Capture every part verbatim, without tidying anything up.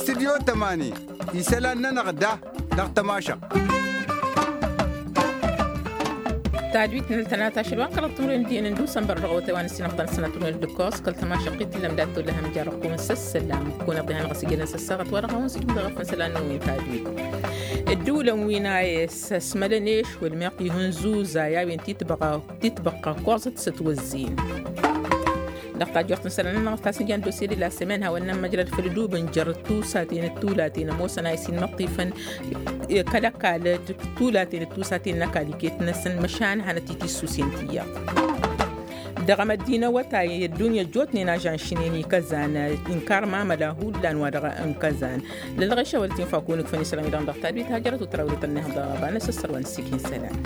Tidyo tămani isălan-nănăɣ da dăɣ-tămašăɣt. Tadwit n-ăltănat ašăl wa n-kăraḍ timǝrwen diyyăn n-dusănbăr dăɣ-awătay wa n-ăssinăɣ ta n-sănatăr n-ăddukos kăl-tămašăɣt i-t-ǝllam dat-tollah amjar ăqqum n-săssălam. Kăwăn-iḍihan ɣas ijănen săssaɣăt wa dăɣ-a-wen s-ijmǝd ɣăf n-isălan-năwăn wi n-tadwit. Ădduulăn wi n-a e s-ăsmălăn ešwăl meɣ tihǝnzuzay a-wen titbăɣa titbăqqa koẓăt s-ătwăzzin. Dăɣ-tajjurt n-isălan-nănăɣ ăstasǝnja n-dosye de la sămen hawăn-nămmăjrăd făll-ădub n-jer-tusaten d-tulaten ămoosăn a isinmăṭṭifăn kăl-ăkall d-tulaten d-tusaten n-ăkall iket-năsăn măšan hanăt-itissusen tiyyăḍ. Dăɣ-emăddin awătay ăddunya ăjjootnen ažan šǝnen ikăzan inkar mamăla hullan wa dăɣ-inkăzan. Lălɣešăwăl tinfakun ǝkfăn isălan-wi-dăɣ dăɣ-tadwit hajărăt u-tărawre tănneha dăɣ-ăbanăs ăssărwa n-sikin isălan.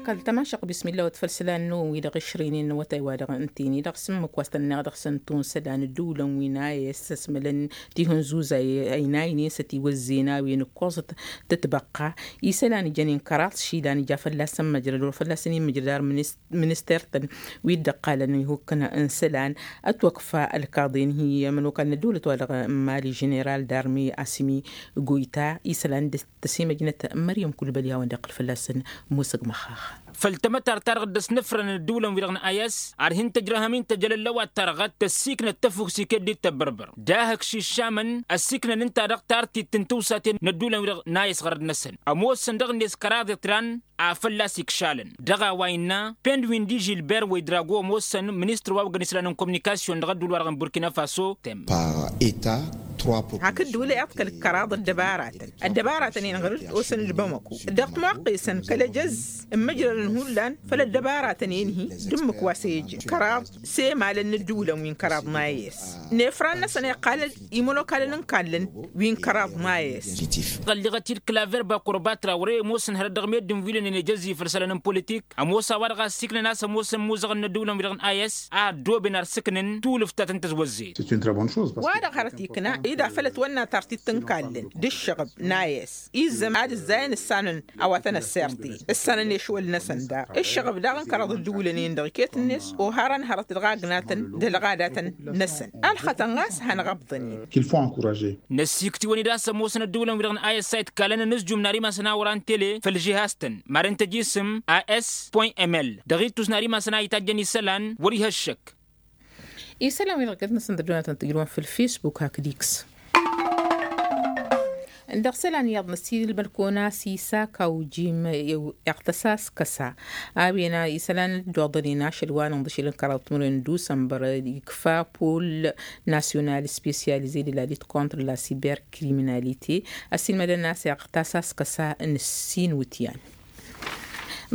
Kăl-tămašăɣ bismilla wăt făll-isălan-năwăn wi-dăɣ išrǝynen n-awătay wa dăɣ-ǝnta-i-ni dăɣ-s ǝmmǝk wa s-tănneɣ dăɣ-săn tunsălan ădduulăn wi n-a e s-ăsmălăn tihǝnzuzay ăynaynen s-ătiwăzzen a-wen ǝkkoẓăt tătbăqqa. Isălan ijănen kăraḍ išilan ija fălla-săn măjrăd wăr fălla-săn imǝjrăd ar minister-tăn wi dd-ăqqalăn ihukkăn n-isălan. Ătwăkfa ălkaḍen hi-ămănokal n-ăddăwlăt wa dăɣ-n mali ženeral darmi asimi goyta isălan d-tăsimăjnăt măryăm kulbăl i-hawăn-dd-iqqǝl fălla-săn. Musăg măxxax. Făll-tamătart-ta-dăɣ dd-ăsnăfrăn ădduulăn-wi-dăɣ n-ayăs ar hin-tăjrăhăm-in tăjălăllăwat-ta-dăɣ ad-tăssiknăt tăfuks iket d-tăbbărbăr d-ahǝk šiššamăn ăssiknăn ǝnta-dăɣ tartit n-tiwsaten n-ădduulăn-wi-dăɣ n-ayăs ɣărăd-năsăn ămoosăn dăɣ-net kăraḍ iḍran a fălla-s ikšalăn. Dăɣ-a-wa innă pend wi n-di žilber wa idrago ămoosăn ministăr wa oggăn isălan n-kominikasyon dăɣ-ădduul-wa-dăɣ n-burkina faso. Hakd wǝla iḍkăl kăraḍ ăddăbaratăn ăddăbaratăn-in ɣǝr-dd osăn d-bamăko dăɣ-tmaqesăn kăl-ejăz ǝmmǝjrălăn hullan făll-ăddăbaratăn-in-hi d-ǝmmǝk wa s-ejăn kăraḍ s-emalăn n-ǝddǝwǝlăn wi n-kăraḍ n-ayes. Nefran-năsăn iqqalăn imănokalăn n-kallăn wi n-kăraḍ n-ayes. Ɣălliɣăt-dd klaver bakurbatra wăr-e ămoosăn hărăt dăɣ-meddǝn wi lănen ejăzzi făll-isălan n-politik ămoos a-wa-dăɣ a ăssiiknăn a-s ămoosăn imuzăɣăn n-ăddiwǝlăn wi-dăɣ n-ayes a ăddooben ar sǝknăn tulǝft ta tăn-tăzwăzzed. Wa-dăɣ hărăt ikna ida făll-ătwănna tartit n-kallăn d-ǝššăɣǝb n-ayes izzăm ad-ǝzzayăn ǝssanăn a-wa tăn-ăssert-i ǝssanăn i-ašwăl-năsăn daɣ ǝššăɣǝb daɣ n-kăraḍ ăddiwǝlăn-in-dăɣ iket-net oharăn hărăt dăɣ-agnatăn d-ălɣadatăn-năsăn. Ălxătăn ɣas hanăɣ-ăbḍăn-in. Năssiiktiwăn-dd a-s ămoosăn ăddiwǝlăn-wi-dăɣ n-ayăssa itkalăn anǝzjum n-ar imasăn a wăr-antele făll-žihaz-tăn maren tăjisǝm as point ml dăɣ-ittus n-ar imasăn a itajjăn isălan wăr-iha ăššăk. Isălan-wi-dăɣ iket-năsăn tăddunatăn tǝjrǝwăn făll-facebook hakd x. Dăɣ-isălan iyyăḍ năssiilmăd kăwăn-as isakaw jim iɣtăs-as kăsa a-wen isălan dd-oḍănen ašăl wa n-inḍǝšel n-kăraḍ timǝrwen n-dusănbăr ikfa pol nasyonal spesyalize de la lit kontra la siberkriminalite. Ăssiilmădăn a-s iɣtăs-as kăsa n-ǝssin wǝtyan.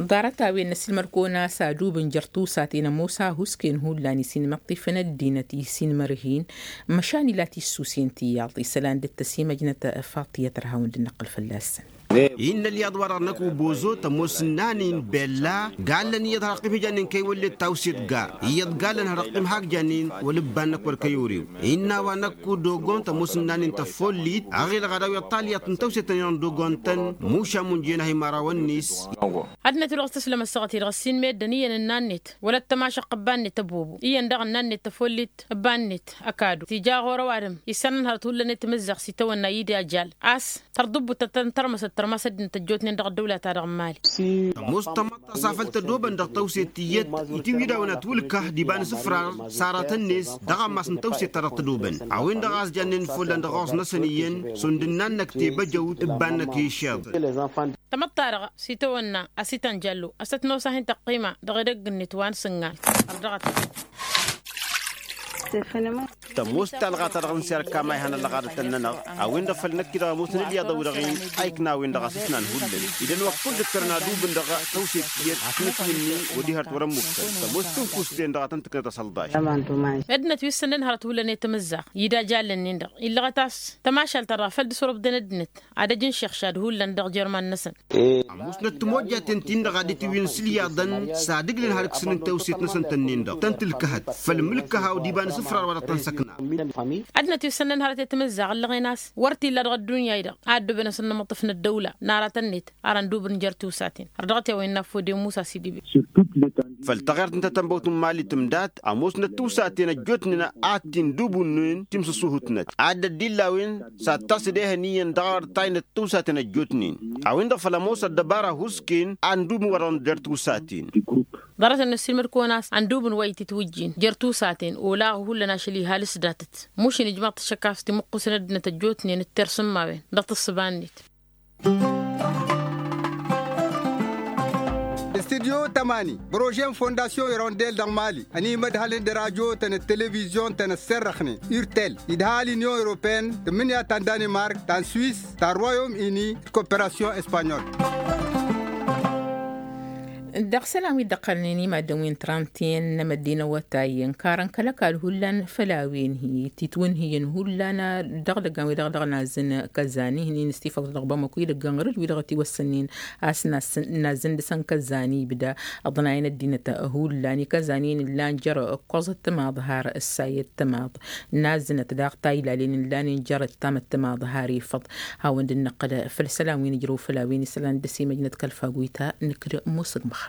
Ḍarăt-a-wen năsilmăd kăwăn-as adub n-jer-tusaten ămoos a husken hullan isinmăṭṭifăn ăddinăt isinmărhin. Măšan ila tissusen tiyyăḍ isălan dd-tăsimăjnăt faṭiyăt ărhawăn d-năqqǝl fălla-săn. Innă ălyaḍ-wa-dăɣ năkk ubozo tămoos ǝnnan-in bella gallăn iyyăḍ har ăqqim hi-jannen kăy-wăllet tawset gar iyyăḍ gallăn har ăqqim hak jannen wăl-ǝbban năkk wăr kăy-orew. Innă a-wa năkk dogon tămoos ǝnnan-in tăfollit ăɣilăɣ ad-awiḍ talyaḍt n-tawset-tăn-in-dăɣ n-dogon-tăn. Mušam unjăyăn a hi-imărawăn-net. Ad-năt-wi-dăɣ s-tǝslăm ăssaɣăt-i-dăɣ ăssiinmed-ăniyăn ǝnnan-net wăla t-tămašăɣt ăbba-net ăbobo iyyăn daɣ ǝnnan-net tăfollit ăbba-net. Ăkadu tija ɣur-ăwadǝm issanăn hărăt hullan i-timǝzzaɣt s-itawănna ida jal a-s tărḍǝbbut tăttărmăsăt tărmas ăddinăt ăjjootnen dăɣ-ăddăwla-ta-dăɣ n-imali. Tămoos tămaṭṭa s-afăl tădobăn dăɣ-tawset tiyyăt itǝwwǝy d-a-wen ătwǝlkăh d-iba n-isǝfrar s-aratăn-net dăɣ-ammas n-tawset-ta-dăɣ tădobăn a-wen-dăɣ a-s jannen follan dăɣ-aɣus-năsăn iyyăn šund ǝnnan-năk tebăjăwt ǝbban-năk i-išeḍ. Tamăḍt-ta-dăɣ s-itawănna a-s itan jallo a-s tăt-nos a hin-tăqqima dăɣ-edăgg-net wa n-sǝngan. Ărdăɣăt. Tămoos talɣa-ta-dăɣ n-serka ma ihăn ăllăɣadătăn-nănăɣ a-wen-dăɣ făll-năkk-i-dăɣ ămoosăn ǝlyaḍăn-wi-dăɣ-in a ikna a-wen-dăɣ a-s ǝsnan hullan idăn wa kull ǝttărăn adubǝn dăɣ-tawset tiyyăt. Tǝnǝtwǝnni wăr-iha ărt wăr-ămmukăn tămoos tǝnfust-en-dăɣ a tăn-tǝknăt asălḍaš. Ăddinăt wi ǝssǝnăn hărăt hullan i-timǝzzaɣ ida jallăn-in-dăɣ illăɣăt a-s tămašalt-ta-dăɣ făl dd-săwrăbden ăddinăt ad-ăj n-išixšad hullan dăɣ-jerman-năsăn. Ămoosnăt timojjaten-tin-dăɣ a dd-itǝwǝyăn s-ǝlyaḍăn s-ad-ǝglăn har ǝksǝn n-tawset-năsăn tănnin-dăɣ tăn-tǝlkăhăt făll-imǝlkăhaw d-iba n-isǝfrar wa dăɣ-tăn-săkna. Ăddinăt wi ǝssănnăn hărăt i-timǝzzaɣ ǝllăɣen a-s wăr t-illa dăɣ-ăddunya-i-dăɣ a ăddooben asǝnnămăṭṭǝf n-ăddăwla n-aratăn-net ar ăndubǝn jer-tiwsaten. Ărdăɣăt i-a-wa innă affăw d-emusa s-idǝbe. Făll-taɣert n-tatănbăwt n-imali tǝmdat ămoosnăt tiwsaten ăjjootnen a t-indubǝnnen timsǝsuhǝtnăt ad-dd-illa a-wen s-ad-tasǝd ehăn iyyăn dăɣ-arăt taynăt tiwsaten ăjjootnen a-wen-dăɣ făl ămoos ăddăbara husken a indubǝn-wăr-dăɣ n-jer-tiwsaten. Ḍarăt-en năssiilmăd-kăwăn a-s ăndubǝn wa itǝtwǝjjin jer-tiwsaten olaɣ hullan ašăl ihal s-datăt mušin ijmăḍ-t ašăk a-s timǝqqusăn ăddinăt ăjjootnen d-tersǝmmawen dăɣ-tǝssǝba-net. Studyo tămani brože n-fondasyon irondel dăɣ-mali ănimădhălăn d-radyo-tăn d-televizyon-tăn ăsserrăxnen urtel idha l-inyon europeyăn tǝmmǝnǝya ta n-danimark ta n-swis ta n-royom ini d-koperasyon espanyol. Dăɣ-isălan wi dd-ăqqălnen i-maddǝn wi n-trantiyen n-emăddi n-awătay ǝnkarăn kăl-ăkall hullan făll-a-wen-hi titwǝnhǝyăn hullan dăɣ-idăggan wi-dăɣ dăɣ-nazǝn kăzan ihnin s-tifăḍ dăɣ-bamăko idăggan ɣur-dd wi-dăɣ ătiwăssănnen a-s nazǝn dăɣ-săn kăzan ibda ăḍnayăn ăddinăt hullan i-kăzan-in ǝllan jer-ǝkkoẓăt timaḍ har ǝssayăt timaḍ nazǝnăt daɣ taylalen ǝllanen jer-ǝttamăt timaḍ har ifăḍ. Hawăn-dd-năqqǝl făll-isălan wi nǝjrăw făll-a-wen isălan dd-ăsimăjnăt kăl-faguyta nǝkd musǝg măxxax.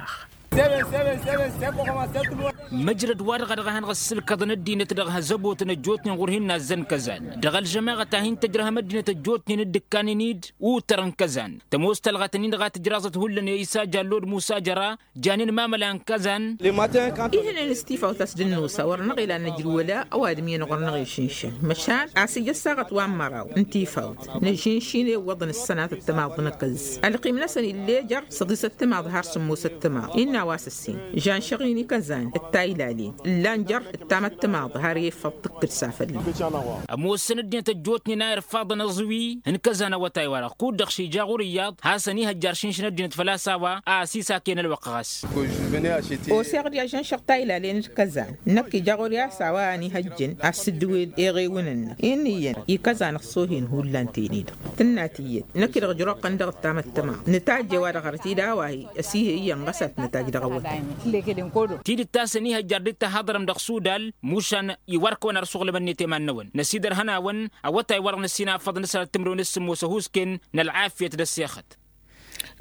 Măjrăd-wa-dăɣ a dăɣ-ehăn ɣas sǝlkăḍăn ăddinăt dăɣ-zăbotăn ăjjootnen ɣur-hin-nazzăn kăzan dăɣ-ălžămaɣăt a hin-tǝjrăhăm ăddinăt ăjjootnen d-ǝkkanen-dd utăr n-kăzan tămoos talɣat-ǝnnin-dăɣ a tǝjraẓăt hullan i-isa jallod musa jăra janen mamăla n-kăzan. Ihnen s-tifawt a-s dd-nusa wăr-năɣ ilan nǝjrǝw wăla ăwadǝm-i-năɣ wăr-năɣ išǝnšăn măšan a-s ija ăssaɣăt wa n-măraw n-tifawt nǝžǝnšin i-iwwăḍăn ǝssănatăt timaḍ n-akǝẓ ălqim-năsăn ill'-e jer-săḍisăt timaḍ har sǝmmosăt timaḍ innă a-wa s-ǝssin žanšăɣ-in i-kăzan d-taylalen ǝllan jer-ǝttamăt timaḍ har i-ifăḍ tǝkkǝd s-a fălla. Ămoosăn ăddinăt ăjjootnen a irfaḍăn aẓwi n-kăzan awătay-wa-dăɣ kud-dăɣ šija ɣur-iyyăḍ hasăn-ihăjjar šǝnšǝn ăddinăt făl-a-s a-wa a ăsisaken ălwăqq ɣas. Oseɣ-dd i-ažănšăɣ taylalen d-kăzan năkk ija ɣur-i a-s a-wa ănihăjjăn a-s dd-wed eɣewăn-năk inn'-iyyăn i-kăzan ăṣṣohen hullan tene-dăɣ tǝnna tiyyăt năkk-i-dăɣ ǝjrăwăɣ-tăn dăɣ-ǝttamăt tămaḍ nǝtajj i-wa-dăɣ arăt-i d-a-wa hi-ăsihăy iyyăn ɣas a tǝnătajj dăɣ-awătay. Tidǝt ta s-ănihăjjar dd-tahăḍrăm dăɣ-sudal mušan iwar-kăwăn ar suɣlǝmăn-net i-iman-năwăn năsidărhăn-awăn awătay wa-dăɣ năsinafăḍ n-asăr ad-tǝmrǝwăn s-sǝmmos ăhuusken n-ălɣafyăt d-ăssexăt.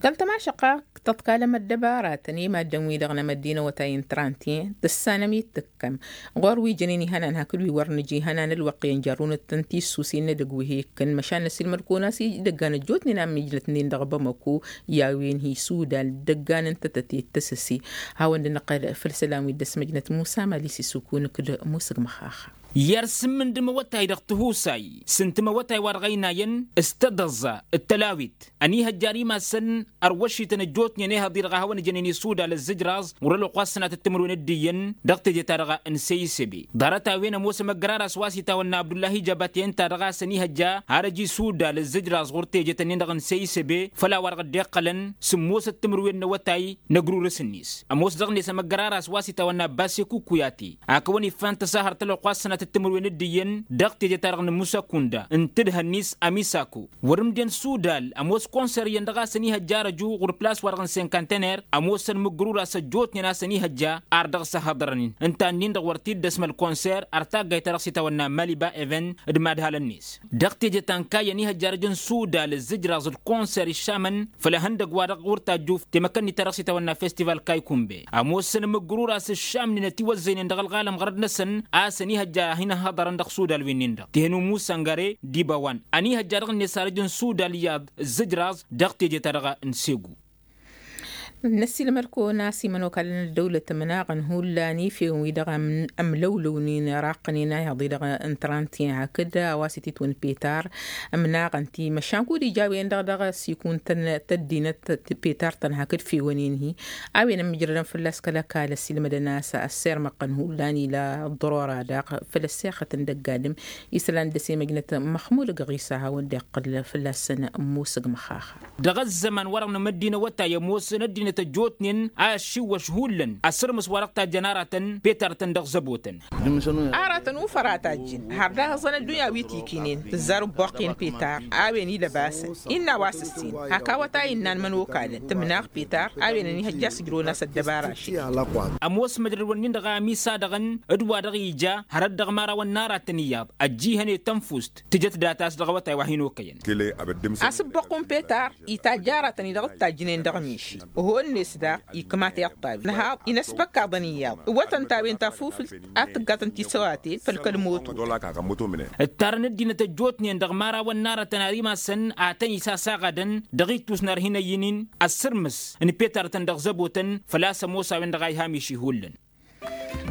Kăl-tămašăqqa tăḍkalăm ăddăbaratăn i-maddǝn-wi-dăɣ n-emăddi n-awătay n-trantiyen tǝssanăm-i d-tǝkkăm ɣur-wi jănen ihănan hakd wi wăr nǝja ihănan ălwăqq i-ănjărrunăt-tăn tissusen n-edăgg wi hi-ikkăn măšan năsilmăd-kăwăn a-s idăggan ăjjootnen a ămmijlătnen dăɣ-bamăko i-a-wen hi-sudal d-ăggan n-tătăte d-tăsăse. Hawăn-dd-năqqăl făll-isălan wi dd-ăsmăjnăt musa mali s-isukun kd-musǝg măxaxa. I-ad-sǝmmǝndǝm awătay dăɣ-tihusay s-ǝntǝm awătay wa dăɣ-ăynayăn s-tădăẓẓa d-tălawit ănihăjjar imassăn ărwăšităn ăjjootnen ehăḍ-i-dăɣ a hawăn-ǝjănen isudal ăzzǝjraẓ ɣur-ălwăqq wa s-sănatăt timǝrwen d-iyyăn dăɣ-teje-ta-dăɣ n-seyisebe. Ḍarăt-a-wen ămoos ămăggărar a-s wa s-itawănna abdullahi jabate ǝnta-dăɣ a-s ănihăjja har ăj isudal ăzzǝjraẓ ɣur-tejet-ǝnnin-dăɣ n-seyisebe făll-a-wa-dăɣ dd-iqqălăn sǝmmosăt timǝrwen n-awătay n-ăgrurǝs-net. Ămoos dăɣ-net ămăggărar a-s wa s-itawănna basse kukuyate a kăwăn-iffan tăsahărt ălwăqq wa s-sănatăt timǝrwen d-iyyăn dăɣ-teje-ta-dăɣ n-musăkunda n-tǝdhăn-is amisako. Wăr-ǝmden sudal ămoos konser iyyăn dăɣ-a-s ănihăjja arăju ɣur-plas-wa-dăɣ n-senkantener ămoosăn mǝggărur a-s ăjjootnen a-s ănihăjja ar dăɣ-s ăhhăḍărăn-in ǝnta-ǝnnin-dăɣ wăr t-dd-ăsmăl konser ar taggayt ta dăɣ-s itawănna maliba even d-imadhalăn-net. Dăɣ-teje ta n-kayy ănihăjja arăj n-sudal ǝzzǝjraẓ d-konser iššamăn făll-ehăndăgg-wa-dăɣ ɣur-tajjuf temăkănnit ta dăɣ-s itawănna festival kaykunbe ămoosăn mǝggărur a-s ǝššamnen ătiwăzzăynen dăɣ-ălɣalăm ɣărăt-năsăn a-s ănihăjja a hin-ăhhăḍărăn dăɣ-sudal wi-nin-dăɣ tihăn umusăngăre d-ibawan ănihăjja dăɣ-net arăj n-sudal iyyăḍ ǝzzǝjraẓ dăɣ-teje-ta-dăɣ n-segu. Năssiilmăd-kăwăn a-s imănokalăn ăddăwlăt ǝmnaɣăn hullan ifewăn-wi-dăɣ ămlăwlăwnen raqqănen a ihaḍ-i-dăɣ n-trantiyen hakd a-wa s-ititwăn petar ǝmnaɣăn-ti măšan kud-ija a-wen-dăɣ dăɣ-s ikun-tăn tăddinăt petar-tăn hakd fewăn-in-hi. A-wen ămmijrădăn fălla-s kăl-ăkall ăssiilmădăn a-s ăssirmăɣ-tăn hullan ila ăḍḍărora daɣ făll-ăssexăt n-dăgg-adǝm isălan dd-ăsimăjnăt măxmud ăgg ɣisa hawăn-dd-iqqǝl fălla-săn musǝg măxaxa. Dăɣ-ăzzăman-wa-dăɣ n-emăddi n-awătay ămoosăn ăddinăt ăjjootnen a ăššiwwăš hullan asǝrmǝs wa dăɣ-tajjăn aratăn petar-tăn dăɣ-zăbotăn. Aratăn ufăr a tajjǝn har d-ahǝẓăn ăddunya wi tikǝynen tǝzzar ǝbboqqen petar a-wen ilăbasăn innă a-wa s-ǝssin hak awătay ǝnnan mănokalăn tǝmnaɣ petar a-wen ănihăjja a-s ǝjrăwăn a-s ăddăbara ašăl. Ămoos măjrăd-wǝnnin-dăɣ a ămisa dăɣ-ǝnn d-wa-dăɣ ija hărăt dăɣ-imărawăn n-aratăn iyyăḍ ăjjihăn i-tănfust tǝjăt data a-s dăɣ-awătay wa hin-okăyăn. A-s ǝbboqqun petar itajj aratăn-i dăɣ-dd-tajjǝnen dăɣ-miši. Ănnes daɣ ikmat iṭṭabi nǝhaḍ inăsbăkkaḍăn iyyăḍ ǝwwătăn ta-wen tafufǝlt ad-tǝggatăn tisăwaten făll-kăl-moto. Ǝttarăn ăddinăt ăjjootnen dăɣ-imărawăn n-aratăn ar imasăn ad-tăn-isasaɣadăn dăɣ-ittus n-arhinăyyăn-in ăssărmǝs n-petarătăn dăɣ-zăbotăn. Făl-a-s ămoos a-wen-dăɣ a iha miši hullan.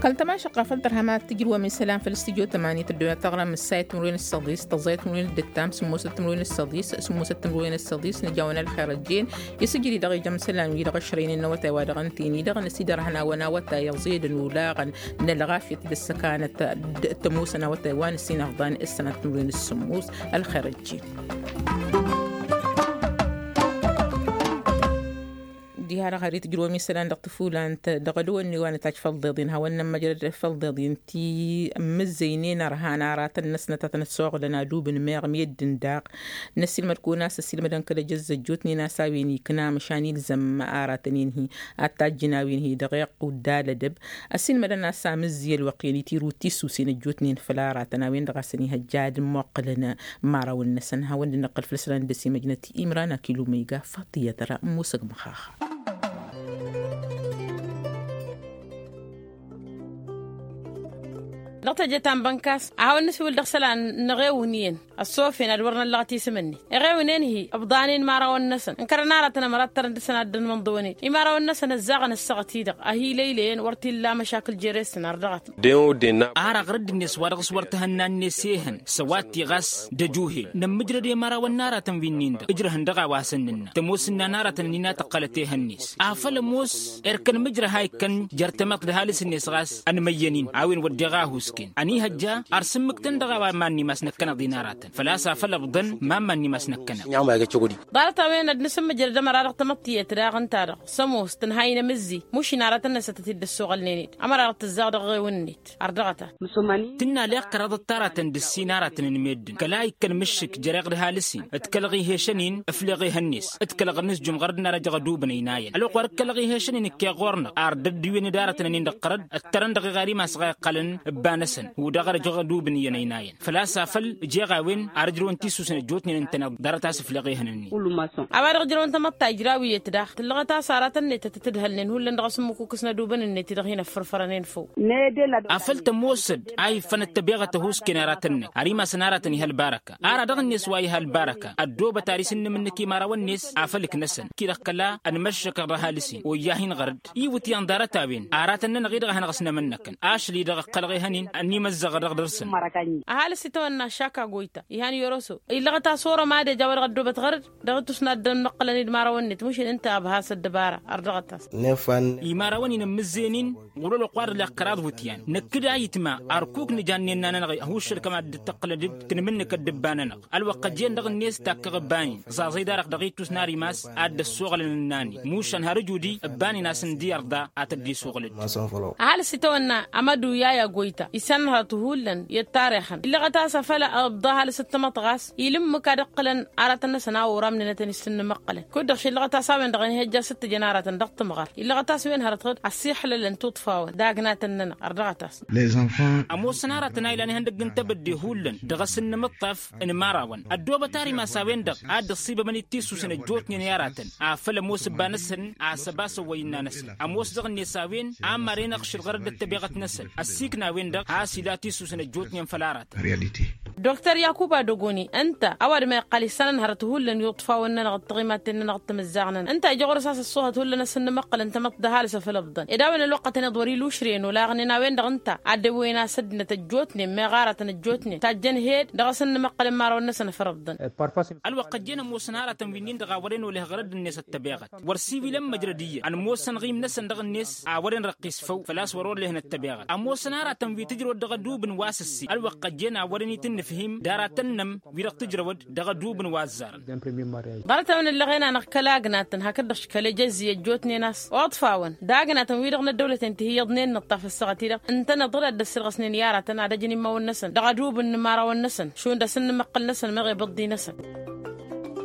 Kăl-tămašăqqa a făl tărhăm ad-tǝjrǝwăm isălan făll-studyo tămani tăddun ad-taɣrăm ǝssayăt timǝrwen ǝssăḍis tăẓẓayăt timǝrwen dd-ǝttam sǝmmosăt timǝrwen ǝssăḍis sǝmmosăt timǝrwen ǝssăḍis nǝjawăn ălxer ăjjeen. Isǝjri dăɣ-ija amsălan-wi-dăɣ ăšrăynen n-awătay wa dăɣ-ǝnta-en-i-dăɣ năsidărhăn awăn awătay ăẓedăn olaɣăn n-ălɣafyăt d-ăssăkanăt d-ămoosăn awătay wa nǝssin ăfḍan ǝssănat timǝrwen ǝssǝmmos. Ălxer ăjjeen. Diha-dăɣ har itǝjrǝwăm isălan dăɣ-tǝfulant dăɣ-ădwănne wa nǝtajj făll-iḍeḍen hawăn-nămmăjrăd făll-iḍeḍen ti ǝmmǝzzăynen ărhan aratăn-năsnăt ad-tăn-ăssoɣlăn adubǝn meɣ meddǝn daɣ. Năsilmăd-kăwăn a-s ăsilmădăn kăl-ejăzz ăjjootnen a-s a-wen ikna măšan ilzăm aratăn-in-hi ad-tajjǝn a-wen-hi dăɣ-iqqud d-alădăb. Ăsilmădăn a-s amǝzzi ălwăqq-en itirǝw d-tissusen ăjjootnen făll-aratăn a-wen-dăɣ a-s ănihăjja ad-ămmoqqǝlăn imărawăn-năsăn hawăn-dd-nǝqqǝl făll-isălan d-ăsimăjnăt imran akilu ma iga faṭiyăt ra n-musăg măxaxa. Dăɣ-teje ta n-bănkas a hawăn-nǝsiwǝl dăɣ-isălan n-eɣewǝn iyyăn ăssofen ad-wăr năllăɣăt isǝm-net eɣewǝn-en-hi ǝbḍan-in imărawăn-năsăn ǝnkărăn aratăn ămărattărăn dăɣ-săn ad-dd-ănmăḍ dăɣ-wănet imărawăn-năsăn ăzzaɣăn ǝssaɣăt-i-dăɣ ăhilăylăyăn wăr t-illa măšakǝl jere-săn ar dăɣ-t. Ar aɣrǝd-net wa dăɣ-s wăr t-hănna-net ehăn s-ăwadǝt iɣas d-ăjuhel nămmǝjrăd i-imărawăn n-aratăn wi-nin-dăɣ ǝjrăhăn dăɣ-a-wa săn nǝnna tămoos ǝnnan aratăn ănina tăqqălăt ehăn-net afăl ămoos erk ănmǝjrăh a ikkăn jer-tamăḍt d-ăhalǝs-net ɣas ănmăyyăn-in a-wen wădden a husken ănihăjja ar sǝmmǝktăn dăɣ-a-wa iman n-imas năkkăneḍ-in aratăn făl-a-s afăl ăbḍăn iman n-imas năkkăneḍ. Ḍarăt-a-wen ad-nǝsǝmmǝjrăd ămăra dăɣ-tamăḍt tiyyăt daɣ ǝnta-dăɣ s-ămoos tǝnha-in amǝzzi mušin aratăn-năsăt ad-t-dd-ăssoɣălnen-dd ămăra dăɣ-tǝzzaɣ dăɣ-eɣewăn-net. Ar dăɣ-ta tǝnna leɣ kăraḍăt taratăn d-ǝssin aratăn n-meddǝn kăla ikkăn mǝššǝk jer-eɣ d-ăhalǝs-in d-kălăɣ ihešăn-in ǝfleɣ ehăn-net d-kălăɣ ănǝsjǝm ɣărăt n-ara jăɣ ădubǝn ăynayăn ălwăqq wa d-kălăɣ ihešăn-in ǝkkeɣ ɣur-năɣ ar dd-ădduwen d-aratăn-nin-dăɣ tărăd ǝttărăn dăɣ-iɣar imas ɣa iqqălăn ǝbba-năsăn. Wi-dăɣ ara jăɣ ădubǝn iyyăn ăynayăn făl-a-s afăl jeɣ a-wen ar ǝjrăwăn tisusen ăjjootnen ǝntăneḍ ḍarăt a-s ǝfleɣ ehăn-net. A-wa-dăɣ ǝjrăwăn tamăḍt ta ijrawǝyăt daɣ tǝllăɣăt-as aratăn-net ad-tăt-ǝdhălnen hullan dăɣ-asǝmmǝkukǝs n-adubǝn-net-i-dăɣ hin-ăffărfărănen făw. Afăl tămoosăd a iffănăt tăbeɣăt ăhuusken aratăn-net ar imas n-aratăn iha ălbarăka ara dăɣ-net wa iha ălbarăka ăddoobăt ar isǝnnǝm-nǝk imărawăn-net afăl ǝknăsăn ki-dăɣ kăla ănmăššăkăɣ dăɣ-ăhalǝs-in oyya hin-iɣărăd iwǝtyan ḍarăt-a-wen aratăn-nănăɣ-i-dăɣ a hanăɣ-ăsnămănnăkăn ašăl-i-dăɣ ǝqqălăɣ ehăn-in ănimăzzăɣăr dăɣ-dăr-săn. Ăhalǝs itawănna ašaka goyta ihan yoroso illăɣăt a-s orăm ad-ej a-wa dăɣ-ăddoobăt ɣărăd dăɣ-itus n-ad-dd-ămmăqqălăn-dd imărawăn-net mušǝl ǝnta a ăbhas ăddăbara. Ar dăɣ-tas imărawăn-in ǝmmǝzzen-in ɣur-ălwăqq wa dăɣ-leɣ kăraḍ iwǝtyan năkk d-ayǝtma ărkuk nǝja ǝnnin-nănăɣ ihus šăl kămad dd-tăqqǝlăn-dd kǝnmǝnnǝk ăddǝbba-nănăɣ. Ălwăqq ăjjeen dăɣ-net takkăɣ ǝbban-in ẓaẓăy darăɣ dăɣ-itus n-ar imas ad-dd-ăssoɣălăn ǝnnan-in mušan har ǝjud-i ǝbban-in a-s ǝndi ărḍa ad-tădd-isuɣǝl-dd. Ăhalǝs itawănna amădu i-a-goyta isănhărăt hullan i-ăttarexăn illăɣăt a-s afăl ăbḍa ăhalǝs d-tamăḍt ɣas ila ǝmmǝk ad-ǝqqǝlăn aratăn-năsăn a oramnen ad-tăn-issǝnnǝmăqqălăn kud-dăɣ šillăɣăt a-s a-wen-dăɣ ănihăjja s-ǝttǝjăn aratăn dăɣ-tǝmɣăr illăɣăt a-s wen hărăt ɣǝd ăssiixlălăn tuṭṭfawăn d-agnatăn-nănăɣ. Ărdăɣăt-as ămoosăn aratăn a ilan ihăndăgg n-tebădde hullan dăɣ-asǝnnǝmǝṭṭaf n-imărawăn ăddoobăt ar imas a-wen-dăɣ a dd-ăṣṣibămăn-dd tisusen ăjjootnen i-aratăn afăl ămoos ǝbba-năsăn a-s ăba săwwăy ǝnna-năsăn ămoos dăɣ-net a-wen a măren ăɣšǝl ɣărăt d-ăttăbeɣăt-năsăn ăssiikna a-wen-dăɣ a-s ila tisusen ăjjootnen făll-aratăn. Doktor yakuba dogoni ǝnta ăwadǝm a iqqăl isănăn hărăt hullan i-uṭṭfawăn-nănăɣ d-tiɣimaten-nănăɣ d-timǝzzaɣ-nănăɣ ǝnta ija ɣur-s a-s ăṣṣuhăt hullan asǝnnǝmăqqălăn tamăḍt d-ăhalǝs afăl ǝbḍăn ed a-wen ălwăqqătăn iḍwăr-i lušren olaɣnen a-wen-dăɣ ǝnta ad-dd-ăwwăyăn a-s ăddinăt ăjjootnen meɣ aratăn ăjjootnen tajjăn hed dăɣ-asǝnnǝmăqqălăn imărawăn-năsăn afăl ǝbḍăn. Ălwăqq ăjjeen ămoosăn aratăn wi-nin-dăɣ a wăren oleh ɣărăd-net ăttăbeɣăt wăr siwilăn măjrăd iyyăn ămoosăn ɣimnăsăn dăɣ-net a wăren răqqis făw făl-a-s wăr-olehăn ăttăbeɣăt ămoosăn aratăn wi tǝjrăwăd dăɣ-ădubǝn wa s-ǝssin ălwăqq ăjjeen a wăren-i tǝnnǝfhim d-aratăn-nămm wi-dăɣ tǝjrăwăd dăɣ-ădubǝn wa ăzzarăn. Ḍarăt-a-wen ǝllăɣen-anăɣ kăla ăgnatăn hakd-dăɣ škăl ejăzzi ăjjootnen a-s oḍfawăn d-agnatăn wi-dăɣ n-ăddăwlăten tihǝyyăḍnen n-ǝṭṭaf ăssaɣăt-i-dăɣ ǝntăneḍ-dd ad-dd-ăssirɣăsnen i-aratăn ad-ăjǝn immawăn-năsăn dăɣ-adubǝn n-imărawăn-năsăn šund asǝnnǝmăqqăl-năsăn meɣ ibǝḍḍi-năsăn.